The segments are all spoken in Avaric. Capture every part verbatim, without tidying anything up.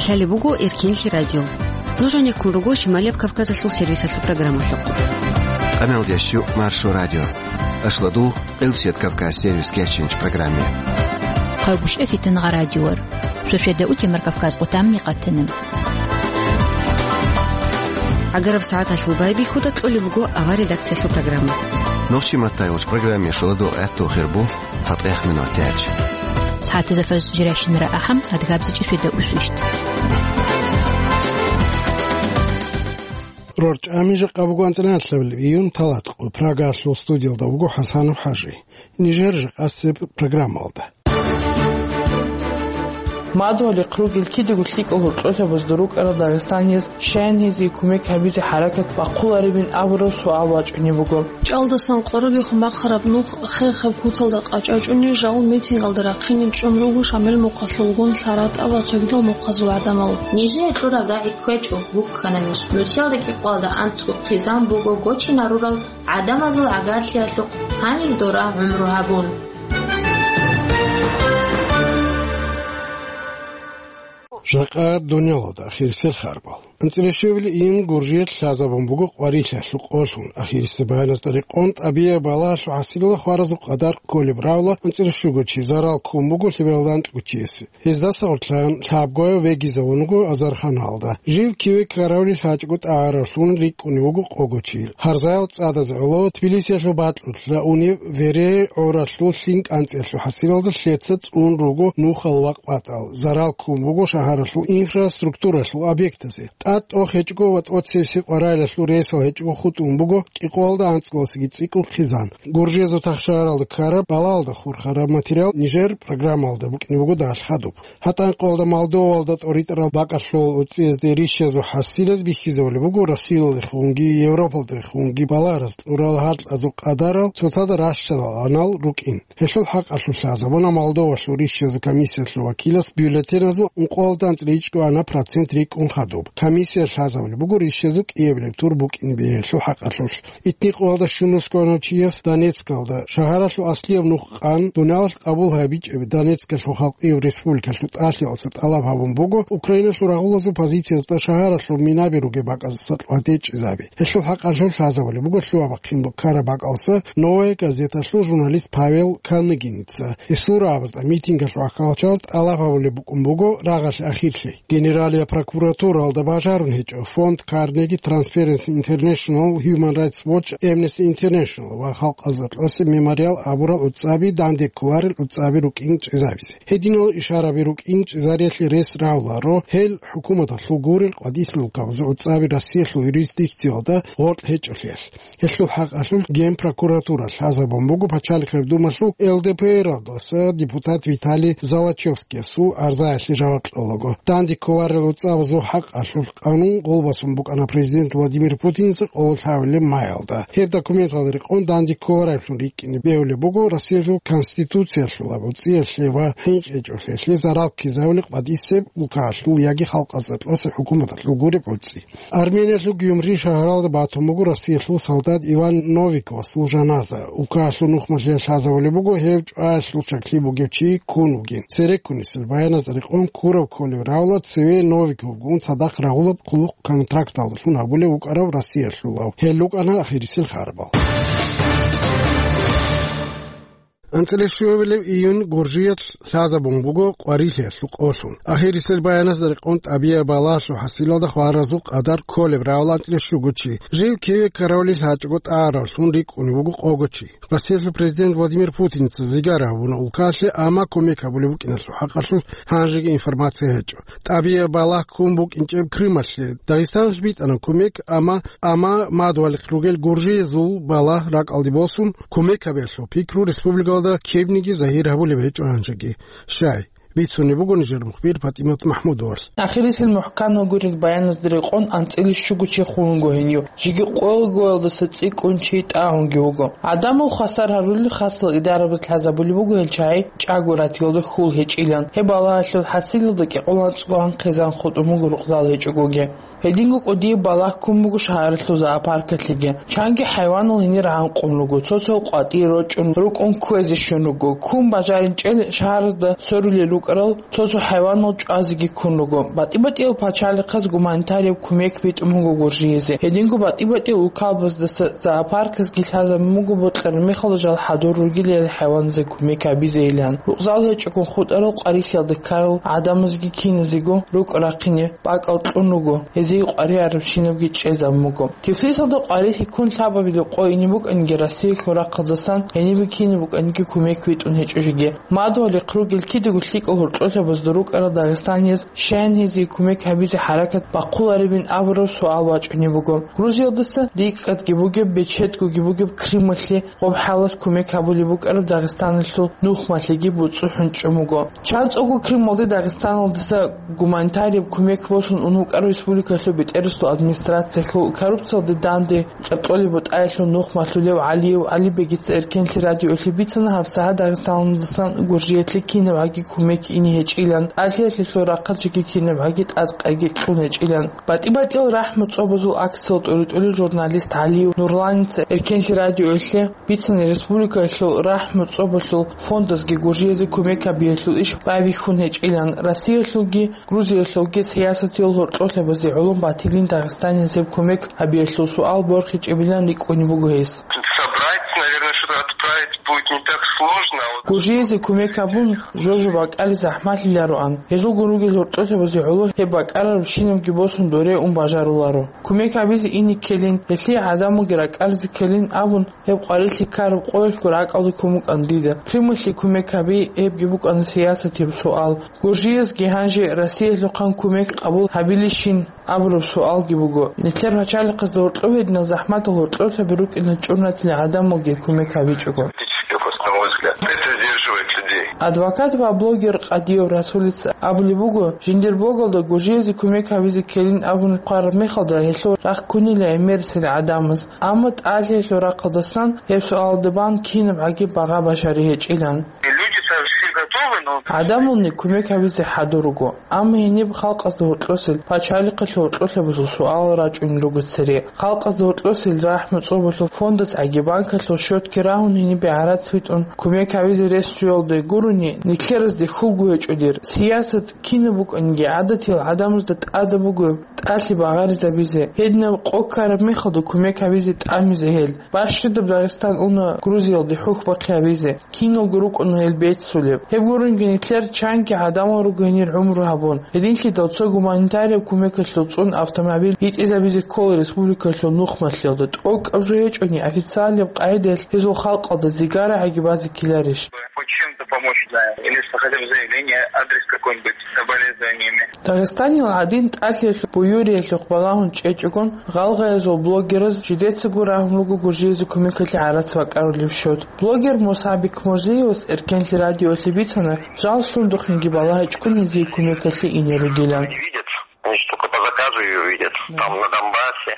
Лъалеб буго Эркенлъи радио. Нуж гьанеккун руго Шималияб Кавказалъул сервисалъул программалъухъ. Къамелдеш Маршо радио. Ашладу Къилсият Кавказ сервис кечинч программе. Хъагуш эфитан гъа радиор. Шошеда утемар Кавказ къутамни къатана. Агараб сагӀаталъул байбихьуда кьолеб буго авар редакциялъул программа. Нохчи маттайгъуч программе шоладо гӀатту хирбу цатӀех минут тяч. СагӀатазда фажр жиращинара ахӀам адгабзичӀи шведа усвищт. Рорча амижа къабугу анцӀраналъабил июн талатӀ къо Прагалъул студиялда вуго ХӀасанов ХӀажи. Нижер жакъасеб программалда. Мадугьалихъ ругел кидаго лъикӀал гьоркьосабазда рукӀарал дагъистанияз щаян гьезие кумек гьабизе хӀаракат бахъуларебин абураб суал вачӀунеб буго. ЧӀалдасан къоролехун бахъараб нух хехаб куцалда къачӀачӀуни жал митингалда рахъине чӀун руго Шамил мухъалъулгун ЛъаратӀа ва цогидал мухъазул гӀадамал. Нижее кьураб рагӀи кквечӀо, вуккана ниж. Нусиялда кӀикъоялда анцӀго хъизан буго гочинарурал гӀадамазул гӀагарлъиялъухъ гьанир дора гӀумру гьабун. Жакъа дунялалда ахирисел харбал. АнцӀила щуабилеб июнь гуржиялъ лъазабун буго къварилъиялъул къолъун. Ахирисеб баяназда рекъон, тӀабигӀияб балагьалъул хӀасилалда хваразул къадар кколеб равла анцӀила щуго чи зарал ккун буго лъебералда анкьго чиясе. Гьездаса гъоркьан лъабгояв вегизавун вуго Азарханалда. Жив киве ккаравли лъачӀого тӀагӀаравлъун рикӀкӀунев вуго къого чи. Гьарзаял цӀадазе гӀоло Тбилисиялъул бакьулъ раунев вере гӀоралъул лъим кӀанцӀиялъул хӀасилалда лъеца цӀун руго нухал вакъ батӀал, зарал ккун буго шагьаралъул инфраструктуралъул объектазе. ТӀад тӀох гьечӀого ва тӀоцебесеб къварилъиялъул ресал гьечӀого хутӀун буго кӀикъоялда анцӀгоялдасаги цӀикӀкӀун хъизан. Гуржиязул тахшагьаралда ккараб балагьалда хурхараб материал нижер программалда букӀине буго дагьалъ хадуб. ГьатӀан къоялда Молдовалда тӀоритӀарал бакӀалъул уцӀцӀиязде рищазул хӀасилаз бихьизабулеб буго Россиялдехунги Европалдехунги балагьараз кьурал гьаркьазул къадарал цоцазда ращалал анал рукӀин. Гьелъул хӀакъалъулъ лъазабуна Молдовалъул рищазул комиссиялъул вакилас бюллетеназул ункъоялда анцӀила ичӀго ана процент рикӀкӀун хадуб. Комиссия лъазабулеб буго рищазул кӀиабилеб тур букӀин бегьулъул хӀакъалъулъ. Итни къоялда щунусго анав чияс Донецкалда шагьаралъул аслияб нух къан, дуниялалъ къабул гьабичӀеб Донецкалъул халкъияб республикалъул тӀалъиялдаса тӀалаб гьабун буго Украиналъул рагъулазул позициязда шагьаралъул минаби ругеб бакӀаздаса лъугьа-тӀечӀизаби. Гьелъул хӀакъалъулъ лъазабулеб буго лъугьа-бахъин ккараб бакӀалдаса «Новая газеталъул» журналист Павел Калныгиница. Гьесул рагӀабазда митингалъул ахӀалчияз тӀалаб гьабулеб букӀун буго рагъалъе ахирлъи. Генералияб прокуратуралда бажарун гьечӀо фонд Carnegie, Transparency International, Human Rights Watch, Amnesty International ва Халкъалъул рокьоса Мемориал абурал уцӀцӀаби данде кколарел уцӀцӀаби рукӀин чӀезабизе. Гьединал ишараби рукӀин чӀезариялъе рес равларо, гьел хӀукуматалъул гурел къватӀисел улкабазул уцӀцӀаби Россиялъул юрисдикциялда гъоркь гьечӀолъиялъ. Гьелъул хӀакъалъулъ Генпрокуратура лъазабун буго Пачалихъеб Думалъул ЛДПРалдаса депутат Виталий Золочевскиясул арзаялъе жаваб кьолаго. Данде кколарел уцӀцӀабазул хӀакъалъулъ къанун къулбасун букӀана президент Владимир Путинца къоло лъабабилеб маялда. Гьеб документалда рекъон данде кколареблъун рикӀкӀине бегьулеб буго Россиялъул Конституциялъул абуцӀиялъе ва хӀинкъичӀолъиялъе зарал ккезавулеб къватӀисеб улкаялъул яги халкъалъул рокьоса хӀукуматалъул гуреб гӀуцӀи. Армениялъул Гюмри шагьаралда батун буго Россиялъул солдат Иван Новиковасул жаназа. Улкаялъул нухмалъе лъазабулеб буго гьев чӀваялъул чаклъи бугев чи ккун вугин. Цереккунисел баяназда рекъон ккураб кколев равла цеве Новиковгун цадахъ рагъулаб хъулухъ контракталдалъун гьабулев вукӀарав Россиялъулав. Гьел рукӀана ахирисел харбал. АнцӀила щуабилеб июнь гуржиялъ лъазабун буго къварилъиялъул къолъун. Ахирисел баяназда рекъон тӀабигӀияб балагьалъул хӀасилалда хваразул къадар кколеб равла анцӀила щуго чи. Жив киве ккаравли лъачӀого тӀагӀаравлъун рикӀкӀунев вуго къого чи. Россиялъул президент Владимир Путинца зигар гьабуна улкалъе, амма кумек гьабулеб букӀиналъул хӀакъалъулъ гьанжеги информация гьечӀо. ТӀабигӀияб балагь ккун букӀинчӀеб Крымалъе Дагъистаналъ битӀана кумек, амма, амма мадугьалихъ ругел гуржиязул балагь ракӀалде босун, кумек гьабиялъул пикру республикалда кибниги загьир гьабулеб гьечӀо гьанжеги. Щай, бицунеб буго нижер мухбир ПатӀимат МахӀмудовалъ. Ахирисел мухӀканал гурел баяназда рекъон анцӀила щуго чи хун вуго гьенив. Жеги къоялдаса цӀикӀкӀун чи тӀагӀунги вуго. ГӀадамал хвасар гьарулел хасал идарабаз лъазабулеб буго гьел чагӀи чӀаго ратиялда хьул гьечӀилан. Гьеб балагьалъул хӀасилалда кӀикъоялда анцӀго хъизан хутӀун буго рукъзал гьечӀогоги. Гьединго кӀудияб балагь ккун буго шагьаралъул зоопаркалъеги. Чанги хӀайванал гьенир гӀанкъун руго, цо-цо къватӀир рочӀун рукӀун кквезе щун руго. Ккун бажаринчӀел шагьаразда сорулел рукӀарал цо-цо хӀайванал чӀвазеги ккун руго. БатӀи-батӀиял пачалихъаз гуманитарияб кумек битӀун буго Гуржиялде. Гьединго батӀи-батӀиял улкабаздаса зоопарказги лъазабун буго бокьараб мехалда жал хӀадур ругелал хӀайваназда кумек гьабизейилан. Рукъзал гьечӀого хутӀарал къварилъиялда ккарал гӀадамазги киназего рукӀ рахъине бакӀал кьун руго, гьезие къваригӀарабщинабги чӀезабун буго. Тифлисалда къварилъи ккун лъабабилеб къо ине букӀаниги Россиялъул рахъалдасан гьенибе кинаб букӀаниги кумек битӀун гьечӀо жеги. Мадугьалихъ ругел кидаго лъикӀал гьоркьолъабазда рукӀарал дагъистанияз щайин гьезие кумек гьабизе хӀаракат бахъуларебин абураб суал бачӀунеб буго. Грузиялдаса рикӀкӀадги бугеб, бечедгоги бугеб Крымалъе гъоб хӀалалъ кумек гьабулеб букӀараб Дагъистаналъул нухмалъиги буцӀцӀухӀун чӀун буго. ЧанцӀого Крымалде Дагъистаналдаса гуманитарияб кумек босун ун вукӀарав республикалъул бетӀерасул администрациялъул коррупциялде данде кьеркьолеб бутӀаялъул нухмалъулев ГӀалиев ГӀалибегица Эркенлъи радиоялъе бицана гьабсагӀат Дагъистаналдасан Гуржиялъе кинаб гӀаги кумек ине гьечӀилан, тӀалъиялъулъул рахъалъги кинаб гӀаги тӀадкъайги кьун гьечӀилан. БатӀи-батӀиял рахӀму цӀобазул акциял тӀуритӀулев журналист ГӀалиев Нурланица Эркенлъи радиоялъе бицана республикаялъул рахӀму цӀобалъул фондазги Гуржиялде кумек гьабиялъул иш байбихьун гьечӀилан, Россиялъулги Грузиялъулги сиясатиял гьоркьолъабазе гӀоло батилин дагъистаниязда кумек гьабиялъул суал борхичӀебилан рикӀкӀунеб буго гьес. Собрать, наверное, что-то отправить будет не так сложно, а вот Гуржиялде кумек гьабун, жо-жо бакӀалде захӀмалъилароан. Гьезулгун ругел гьоркьолъабазе гӀоло гьеб бакӀарабщинабги босун доре ун бажаруларо. Кумек гьабизе ине ккелин, гьелъие гӀадамалги ракӀалде ккелин абун, гьеб къварилъи ккараб къоялъго ракӀалде ккун букӀана дида. Крымалъе кумек гьаби, гьебги букӀана сиясатияб суал. Гуржиязги гьанже Россиялъухъан кумек къабул гьабилищин абураб суалги буго. Нилъер пачалихъазда гьоркьов гьединал захӀматал гьоркьоблъаби рукӀиналъ чӀун ратила гӀадамалги кумек гьабичӀого. Политических, на мой взгляд. Это сдерживает людей. Адвокат ва блогер Къадиев Расулица абулеб буго, жиндир блогалда гуржиязде кумек гьабизе ккелин абун хъвараб мехалда гьелъул рахъ ккунила гӀемерисел гӀадамаз. Амма тӀалъиялъул рахъалдасан гьеб суалда бан кинаб гӀаги багъа башари гьечӀилан. Люди-то все готовы, но ГӀадамални кумек гьабизе хӀадур руго. Амма гьениб халкъазда гьоркьосел, пачалихъалъул гьоркьолъабазул суал рачӀунел руго цере. Халкъазда гьоркьосел рахӀму цӀобалъул фондас гӀаги банкалъул счетги рагьун гьенибе гӀарац битӀун кумек гьабизе рес чӀвалде гурони, нилъеразде хьулгу гьечӀо дир. Сиясат кинаб букӀаниги гӀадатиял гӀадамазда тӀадаб буго тӀалъи багъаризабизе. Гьединаб къо ккараб мехалда кумек гьабизе тӀамизе гьел. Бащадаб Дагъистан уна Грузиялде хӀухьбахъи гьабизе. Киналго рукӀуна гьел беццулеб. Гьеб гурунги нилъер чанги гӀадамал руго гьенир гӀумру гьабун. Гьединлъидал цо гуманитарияб кумекалъул цӀун автомобиль йитӀизабизе ккола республикалъул нухмалъиялда. ТӀокӀаб жо гьечӀони, официалияб къагӀидаялъ гьезул халкъалда зигара гӀаги базе ккеларищ? Хоть чем-то помочь, да. Или хотя бы заявление, адрес какой-нибудь с соболезнованиями. Дагъистанил гӀадин тӀалъиялъул буюриялъухъ балагьун чӀечӀогон, гъалгъаязул блогераз жидецаго рагьун руго гуржиязде кумекалъе гӀарац бакӀарулеб щот. Блогер Муса Бекмурзиевас Эркенлъи радиоялъе бицана, жал сундухъниги балагьичӀгун гьезие кумекалъе ине ругилан. Они видят, они же только по заказу её видят, там, на Донбассе.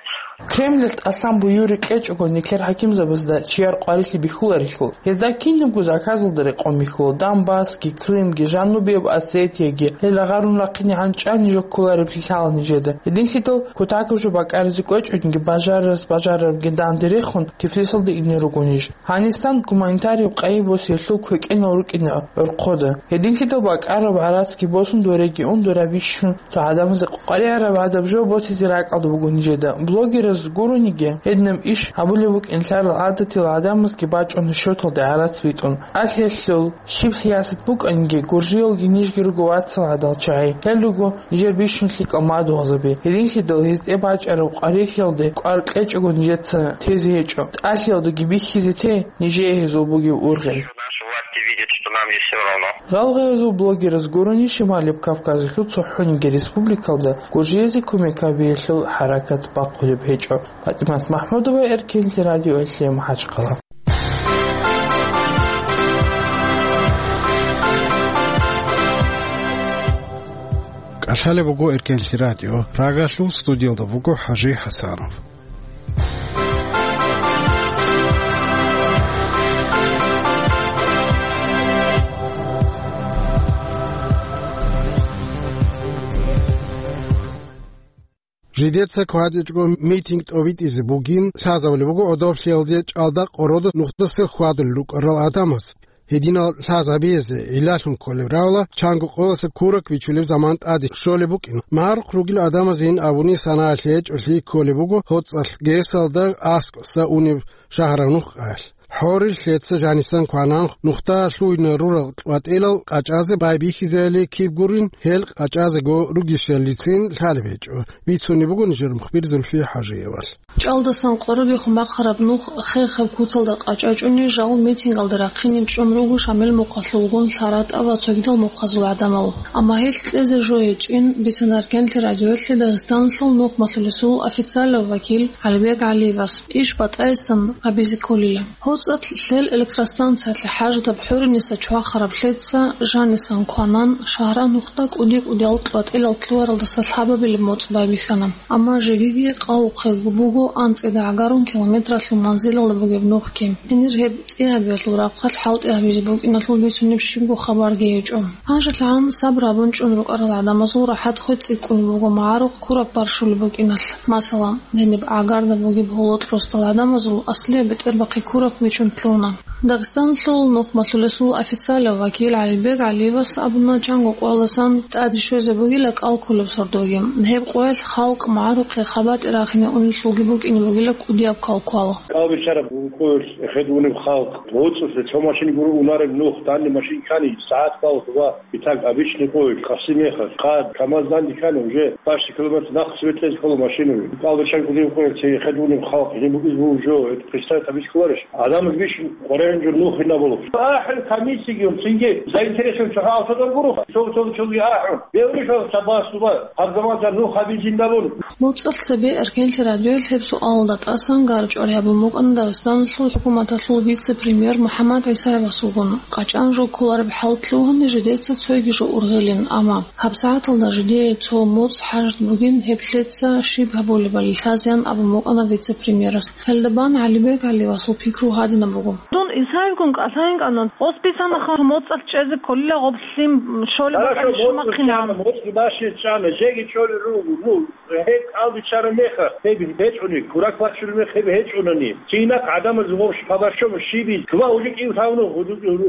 Кремльалъ тӀасан буюри кьечӀого нилъер хӀакимзабазда чияр къварилъи бихьуларелъул, гьезда кинабго заказалда рекъон бихьула, Донбассги, Крымги, Жанубияб Осетияги, гьел агъарун рахъинегӀан чӀани жо кколареб лъалаан нижеда. Гьединлъидал кутакаб жо бакӀаризе кӀвечӀониги, бажарарас бажарарабги данде рехун, Тифлисалда ине руго ниж. Гьанистан гуманитарияб къайи босиялъул квекӀенал рукӀина гӀорхъода. Гьединлъидал бакӀараб гӀарацги босун дореги ун дора бищун цо гӀадамазда къваригӀараб гӀадаб жо босизе ракӀалда буго нижеда. Блогераз гурониги, гьединаб иш гьабулеб букӀин лъарал гӀадатил гӀадамазги бачӀуна щоталда гӀарац битӀун. ТӀалъиялъул щиб сиясат букӀаниги, гуржиялги нижги руго вацал гӀадал чагӀи. Гьел руго нижер бищун лъикӀал мадугьалзаби. Гьединлъидал гьез тӀебачӀараб къварилъиялде кӀвар кьечӀого нижеца тезе гьечӀо. ТӀалъиялдаги бихьизе те нижее гьезул бугеб ургъел. Наши власти видят, что нам не всё равно. Гъалгъаязул блогераз гурони Шималияб Кавказалъул цохӀониги республикалда гуржиязе кумек гьабиялъул хӀаракат бахъулеб гьечӀо. ПатӀимат МахӀмудова, Эркенлъи радиоялъе, МахӀачхъала. КӀалъалеб буго Эркенлъи радио. Прагалъул студиялда буго ХӀажи ХӀасанов. Жидеца кватӀичӀого митинг тӀобитӀизе бугин лъазабулеб буго гӀодоблъиялде чӀалда къородо нухдаса хьвадулел рукӀарал гӀадамаз. Гьединал лъазабизе гӀиллалъун кколеб равла, чанго къоялъа курак бичулеб заман тӀаде щолеб букӀин. МагӀарухъ ругел гӀадамазин абуни, санаялъе гьечӀолъи кколеб буго гьоцӀалъ гесалда аскӀоса унеб шагьараб нух къаялъ. ХӀорил лъеца жанисан кванан нухда лъугьине рурал кьватӀилал къачӀазе байбихьизеали киб гурин, гьел къачӀазего ругищалицин лъалеб гьечӀо, бицунеб буго нижер мухбир Зульфия ХӀажиевалъ. ЧӀалдасан къородехун бахъараб нух хехаб куцалда къачӀачӀуни, жал митингалда рахъине чӀун руго Шамил мухъалъулгун, ЛъаратӀа ва цогидал мухъазул гӀадамал. Амма гьелъ кьезе жо гьечӀин, бицана Эркенлъи радиоялъе Дагъистаналъул нухмалъулесул официалав вакил ГӀалибек ГӀалиевас. Иш батӀаясан гьабизе кколила. ГьоцӀалъ лъел электростанциялъе хӀажатаб хӀуриниса чвахараб лъеца жанисан кванан, шагьра нухда кӀуди-кӀудиял кьватӀилал лъугьаралдаса лъабабилеб моцӀ байбихьана. Амма жегиги къавухъе буго анцӀида гӀагарун километралъул манзилалда бугеб нухги. Гьенир гьеб цӀи гьабиялъул рахъалъ хӀалтӀи гьабизе букӀиналъул бицунеб щибго хабарги гьечӀо. ГьанжелъагӀан сабру гьабун чӀун рукӀарал гӀадамазул рахӀат хвецӀикӀкӀун буго магӀарухъ кураб барщулеб букӀиналъ. Масала, гьениб гӀагарда бугеб гьолотӀ росдал гӀадамазул аслияб бетӀербахъи кураб бичун лъугьуна. Дагъистаналъул нухмалъулесул официалав вакил ГӀалибек ГӀалиевас абуна, чанго къоялдасан тӀаде щвезе бугила кӀал кколеб сордоги. Гьеб къоялъ халкъ магӀарухъе хабатӀи рахине унелъулги букӀине бугила кӀудияб калквал. КӀал бичараб къоялъ эхед унеб халкъ, гьоцӀалъе цо машин гуро унареб нух, данде машин ккани, сагӀат ккола. Итак, обычный къоялъ, къаси мехалъ, хъад, КамАЗ данде ккани, уже бащи километр нахъ светлез ккола машинаби. КӀал бичан кӀудияб къоялъ цей эхед унеб халкъ, гьениб букӀизе буго жо, это представить гьабизе кколарищ? Гьадамаз бищун къваригӀун жур нух гьинабулеб. АхӀун комиссиги, цинги заинтересованный чагӀи алсадан гуро, цо-, цо-, цоги ахӀун. Бегьулищ гьаб цабасуба, гьаб заман цо нух гьабизин абун. МоцӀалъ цебе Эркенлъи радиоялъ гьеб суалалда тӀасан гарчӀвар гьабун букӀана Дагъистаналъул хӀукуматалъул вице-премьер МухӀаммад ГӀисаевасулгун. КъачӀан жо кколареб хӀал лъугьани, жидеца цойги жо ургъилин, амма гьабсагӀаталда жидее цо моцӀ хӀажат бугин, гьеб лъеца щиб гьабулебали лъазеян абун букӀана вице-премьерас. Гьелда бан ГӀалибек ГӀалиевасул пикру гьадинаб буго. Дун Исаевгун кӀалъайин кӀанан, гъос бицана ха моцӀалъ чӀезе кколила гъоб лъим щолеб Хорошо, бакӀалде моцӀ щумахъинегӀан. МоцӀ бащи чӀана, жеги чӀолел руго, ну, гьеб кӀал бичараб мехалъ, гьеб гьечӀони, курак бачулеб мех гьеб гьечӀонани. Цинахъ гӀадамаз гъоб хабар що, щибил, ква уже кӀив тавну,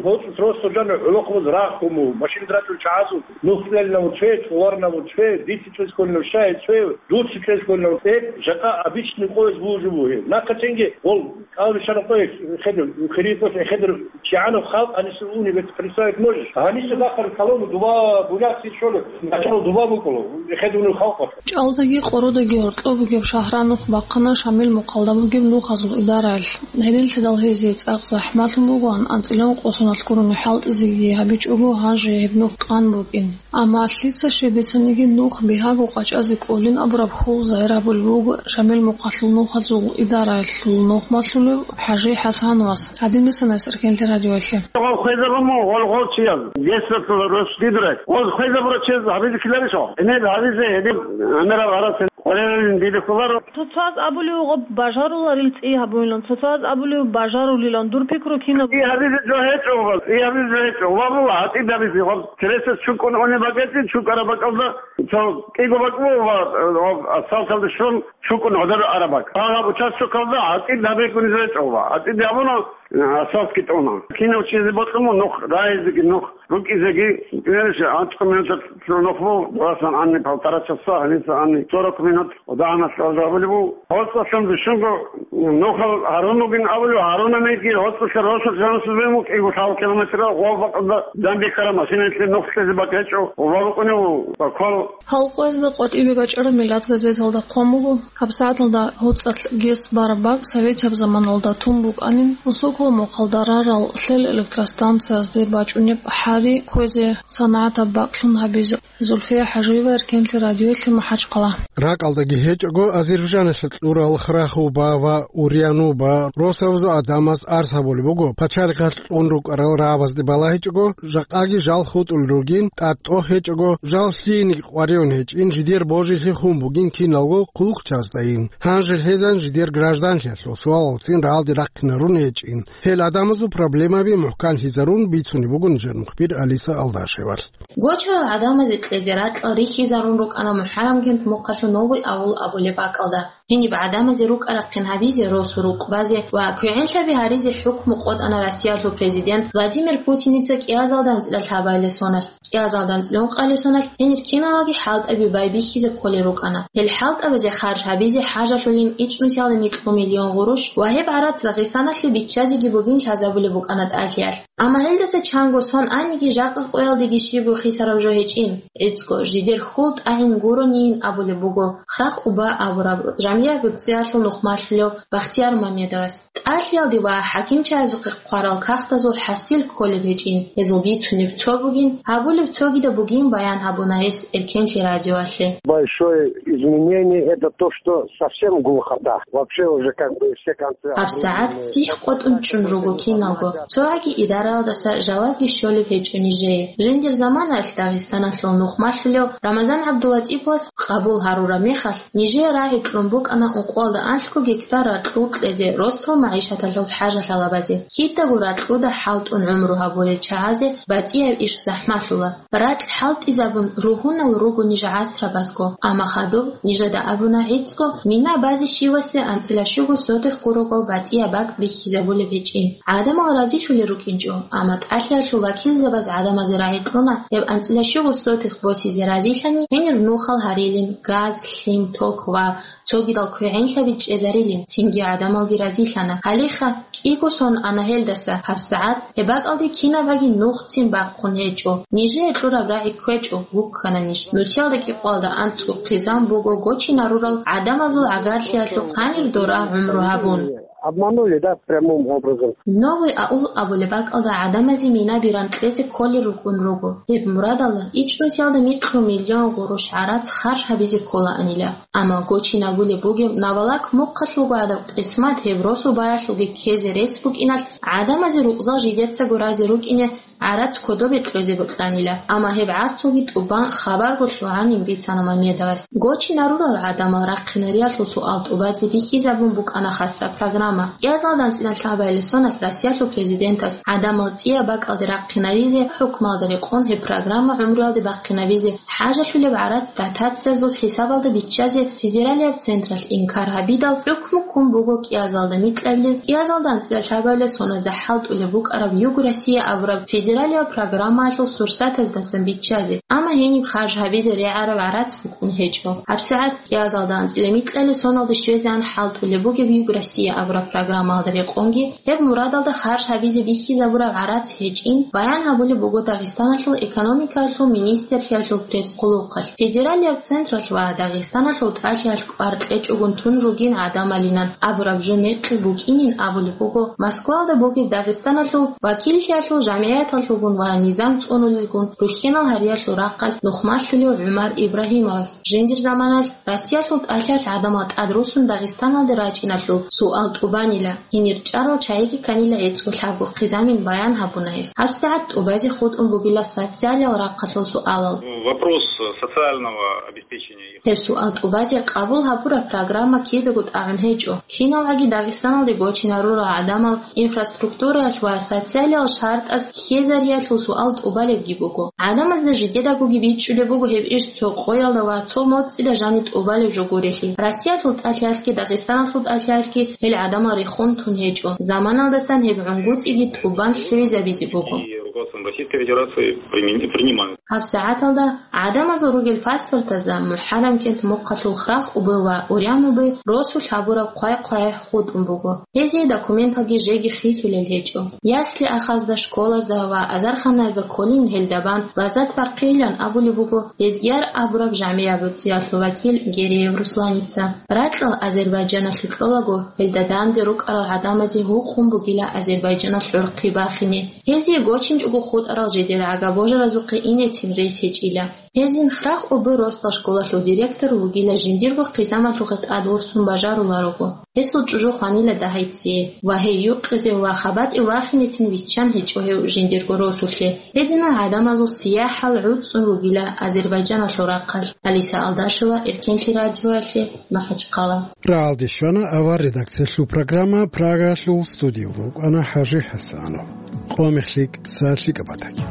гьоцӀус росо жана гӀолохъабаз рахъуму, машин ратул чагӀазул, нухлелнаву цве, товарнаву цве, дици цвез кколнав щай цве, дуци цвез кколнав цве, жакъа обычный къояз бужу бугье. Нахъа цинги гъол кӀал бичараб къояз хедур, хирикъос хедур, чигӀанаб халкъ гьаниса унеб представить можешь? Гьаниса бахъараб калому дуба буляхъи щолеб, начало дуба букӀула, хедунеб халкъалъ. ЧӀалдаги къородеги гьоркьоб бугеб шагьра нух бахъана Шамил мухъалда бугеб нухазул идараялъ. Гьединлъидал гьезие цӀакъ захӀмалъун бугоан анцӀила ункъосуналъ гурони хӀалтӀизеги гьабичӀого гьанже гьеб нух къан букӀин. Амма лъица щиб бицаниги нух бигьаго къачӀазе кӀолин абураб хьул загьир гьабулеб буго Шамил мухъалъул нухазул идараялъул нухмалъулев ХӀажи ХӀасановас. Гьадинасан гьес Эркенлъи радиоялъе. Гъол хвезабума, гъол гъол чияз, гьесдалъула рос дидрай. Гъоз хвезабура чияз гьабизе ккеларищ гъо? Гьениб гьабизе гьедин гӀемерал гьарасел къваригӀунин диде кколаро. Цоцаз абулев гъоб бажаруларил цӀи гьабуилан, цоцаз абулев бажарулилан, дур пикру кинаб? И гьабизе жо гьечӀо гъоб, и гьабизе жо гьечӀо. Ва була гьатӀи гьабизе гъоб. Тересас чукӀун уни бакӀечӀин, чукӀараб бакӀалда цо кӀиго бакӀ буго ва, ва асфальталде щун чукӀун гӀодор араб бакӀ. Гьаб участокалда гьатӀи гьабигун жо гьечӀо ва гьатӀи гьабуна. Асфальтги тӀуна. Кинав чӀезе бокьун нух, рагӀизеги нух, рукӀизеги, гьелъ анцӀго минуталъ нух буго, дурасан гьаниб полтора часа, гьаниса гьаниб сорок минут, дагьаналъ гьабулеб буго. ГьоцӀалъун бищунго нухал гьарун бугин абулеб, гьарунабиги гьоцӀалъа росулъ жанасулбе мукӀигу лъал километрал гъов бакӀалда данде ккараб машиналъе нух кьезе бакӀ гьечӀо, ва букӀунев баквал. Халкъ къоязда къватӀибе бачӀараб «Миллат» газеталда хъван буго, гьабсагӀаталда гьоцӀалъ гес бараб бакӀ советияб заманалда тун букӀанин, Усокол мухъалда рарал лъел электростанциязде бачӀунеб хӀари кквезе санагӀатаб бакӀлъун гьабизе. Зульфия ХӀажиева, Эркенлъи радиоялъе, МахӀачхъала. РакӀалдаги гьечӀого, Азербайджаналъа кьурал Храхуба ва Уриануба росабазул гӀадамаз арс гьабулеб буго, пачалихъалъ кьун рукӀарал рагӀабазде балагьичӀого, жакъаги жал хутӀулел ругин, тӀад тӀох гьечӀого, жал лъиениги къваригӀун гьечӀин, жидер божилъи хун бугин киналго хъулухъчаздайин. Гьанже лъезан жидер гражданлъиялъул суалалцин рагӀалде рахъинарун гьечӀин. Гьел гӀадамазул проблемаби мухӀканлъизарун бицунеб буго нижер мухбир Алиса Алдашевалъ. Гочарал гӀадамазе кьезе ракьал рихьизарун рукӀана МухӀаррамкент мухъалъул Новый аул абулеб бакӀалда. Гьениб гӀадамазе рукӀа-рахъин гьабизе, росу рукъ базе ва квегӀенлъаби гьаризе хӀукму къотӀана Россиялъул президент Владимир Путиница кӀиазалда анцӀила лъабабилеб соналъ. КӀиазалда анцӀила ункъабилеб соналъ гьенир киналги хӀалтӀаби байбихьизе кколел рукӀана. Гьел хӀалтӀабазе харж гьабизе хӀажалъулин ичӀнусиялда микьго миллион гъурущ ва гьеб гӀарац Дагъистаналъе биччазеги бугин лъазабулеб букӀана тӀалъиялъ. Амма гьелдаса чанго сон аниги, жакъа къоялдеги щибго хисараб жо гьечӀин. ГӀицӀго, жидер хьул тӀагӀин гуронийин абулеб буго Храх-Уба абураб жамгӀияб гӀурцӀиялъул нухмалъулев Бахтияр Мамедовас. ТӀалъиялде ва хӀакимчагӀазухъе хъварал кагътазул хӀасил кколеб гьечӀин, гьезул бицунеб цо бугин, гьабулеб цогидаб бугин, баян гьабуна гьес Эркенлъи радиоялъе. Большое изменение — это то, что совсем глухота. Вообще уже как бы все концы... ГьабсагӀат сихӀ къотӀун чӀун руго киналго. ЦогӀаги идараялдаса жавабги щолеб гьечӀо нижее. Жиндир заманаялъ Дагъистаналъул нухмалъулев Рамазан ГӀабдулатӀиповас къабул гьарураб мехалъ, нижее рагӀи кьун букӀана ункъоялда анлъго гектар ракьул кьезе росдал магӀишаталъул хӀажалъалабазе. Кидаго ракьуда хӀалтӀун гӀумру гьабулел чагӀазе батӀияб иш захӀмалъула. Ракь хӀалтӀизабун ругьунал руго ниж гӀасрабазго, амма хадуб нижеда абуна гӀицӀго мина базе щивасде анцӀила щуго сотых гурого батӀияб бакӀ бихьизабулеб гьечӀин. ГӀадамал разилъулел рукӀинчӀо, амма тӀалъиялъул вакилзабаз гӀадамазе рагӀи кьуна гьеб анцӀила щуго сотых босизе разилъани, гьенир нухал гьарилин, газ, лъим, ток ва цогидал квегӀенлъаби чӀезарилин, цинги гӀадамалги разилъана. Гьалиха кӀиго сон ана гьелдаса, гьабсагӀат гьеб бакӀалде кинабаги нухцин бахъун гьечӀо. Нижее кьураб рагӀи кквечӀо, гуккана ниж. Нусиялда кӀикъоялда анцӀго хъизан буго гочинарурал гӀадамазул гӀагарлъиялъухъ гьанир дора гӀумру гьабун. Обманули, да, прямым образом. Новый аул абулеб бакӀалда гӀадамазе минаби ранкьезе кколел рукӀун руго. Гьеб мурадалда ичӀнусиялда микьго миллион гъурущ гӀарац харж гьабизе кколаанила. Амма гочинабулеб бугеб Навалак мухъалъулго гӀадаб къисмат гьеб росу баялъулги ккезе рес букӀиналъ, гӀадамазе рукъзал жидецаго разе рукӀине гӀарац кодобе кьезе бокьанила. Амма гьеб гӀарцулги тӀубан хабарго лъугӀанин бицана Мамедовас. Гочинарурал гӀадамал рахъинариялъул суал тӀубазе бихьизабун букӀана хасаб программа. КӀиазалда анцӀила лъабабилеб соналъ Россиялъул президентас гӀадамал цӀияб бакӀалде рахъинаризе, хӀукмалда рекъон гьеб программа гӀумруялде бахъинабизе, хӀажалъулеб гӀарац дотациязул хӀисабалда биччазе федералияб централъ инкар гьабидал, хӀукму ккун буго кӀиазалда микьабилеб, кӀиазалда анцӀила лъабабилеб соназда хӀалтӀулеб букӀараб Юг Россия абураб федералияб программаялъул сурсатаздасан биччазе, амма гьениб харж гьабизе регӀараб гӀарац букӀун гьечӀо. ГьабсагӀат кӀиазалда анцӀила микьабилеб соналде щвезегӀан хӀалтӀулеб бугеб Юг Россия абураб программаялда рекъонги, гьеб мурадалда харж гьабизе бихьизабураб гӀарац гьечӀин баян гьабулеб буго Дагъистаналъул экономикаялъул министрлъиялъул пресс-хъулухъалъ. Федералияб централъ ва Дагъистаналъул тӀалъиялъ кӀвар кьечӀогун тун ругин гӀадамалинан абураб жо мекъи букӀинин абулеб буго Москвалда бугеб Дагъистаналъул вакиллъиялъул жамгӀияталъулгун ва низам цӀунулелгун рухьинал гьариялъул рахъалъ нухмалъулев ГӀумар Ибрагьимовас. Жиндир заманалъ Россиялъул тӀалъиялъ гӀадамал тӀадрусун Дагъистаналде рачӀиналъул суал тӀубанила, гьенир чӀарал чагӀиги кканила гӀицӀго лъабго хъизамин баян гьабуна гьес. ГьабсагӀат тӀубазе хутӀун бугила социалиял рахъалъул суалал. Вопрос социального обеспечения их. Гьеб суал тӀубазе къабул гьабураб программа кидаго тӀагӀун гьечӀо. КиналгӀаги Дагъистаналде гочинарурал гӀадамал инфраструктураялъ ва социалиял шартӀаз ккезариялъул суал тӀубалебги буго. ГӀадамазда жидедагоги бичӀчӀулеб буго гьеб иш цо къоялда ва цо моцӀида жаниб тӀубалеб жо гурелъи. Россиялъул тӀалъиялъги Дагъистаналъул тӀалъиялъги гьел гӀадамал рехун тун гьечӀо. Заманалдасан гьеб гӀунгуцӀиги тӀубан лъугӀизабизе буго. И руководством Российской Федерации примени-, принимают. ГьабсагӀаталда гӀадамазул ругел паспортазда МухӀаррамкент мухъалъул Храх-Уба ва Урян-Уба росулъ гьабураб хъвай-хъвай хутӀун буго. Гьезие документалги жеги хисулел гьечӀо. Ясли-ахазда, школазда ва азарханаязда кколин гьелда бан лаззат бахъейилан абулеб буго Лезгияр абураб жамгӀияб гӀурцӀиялъул вакил Гереев Русланица. Ракьал Азербайджаналъув кьолаго, гьелда данде рукӀарал гӀадамазе гьукъун бугила Азербайджаналъ гӀурхъи бахине. Гьезие гочинчӀого хутӀарал жидер гӀага-божаразухъе инецин рес гьечӀила. Гьедин Храхъ обо росдал школалъул директор вугила жиндирго хъизамалъухъе тӀадвуссун бажаруларого. Гьесул чӀужу хванила дагьайцие ва гьей юкъизе ва хабатӀи вахинецин виччан гьечӀо гьев жиндирго росулъе. Гьединал гӀадамазул сияхӀал гӀуцӀун ругила Азербайджаналъул рахъалъ. Алиса Алдашева, Эркенлъи радиоялъе, МахӀачхъала. РагӀалде щвана авар редакциялъул программа, Прагаялъул студиялда вукӀана ХӀажи ХӀасанов. Къо мехлъи, са лъикӀаб батаги.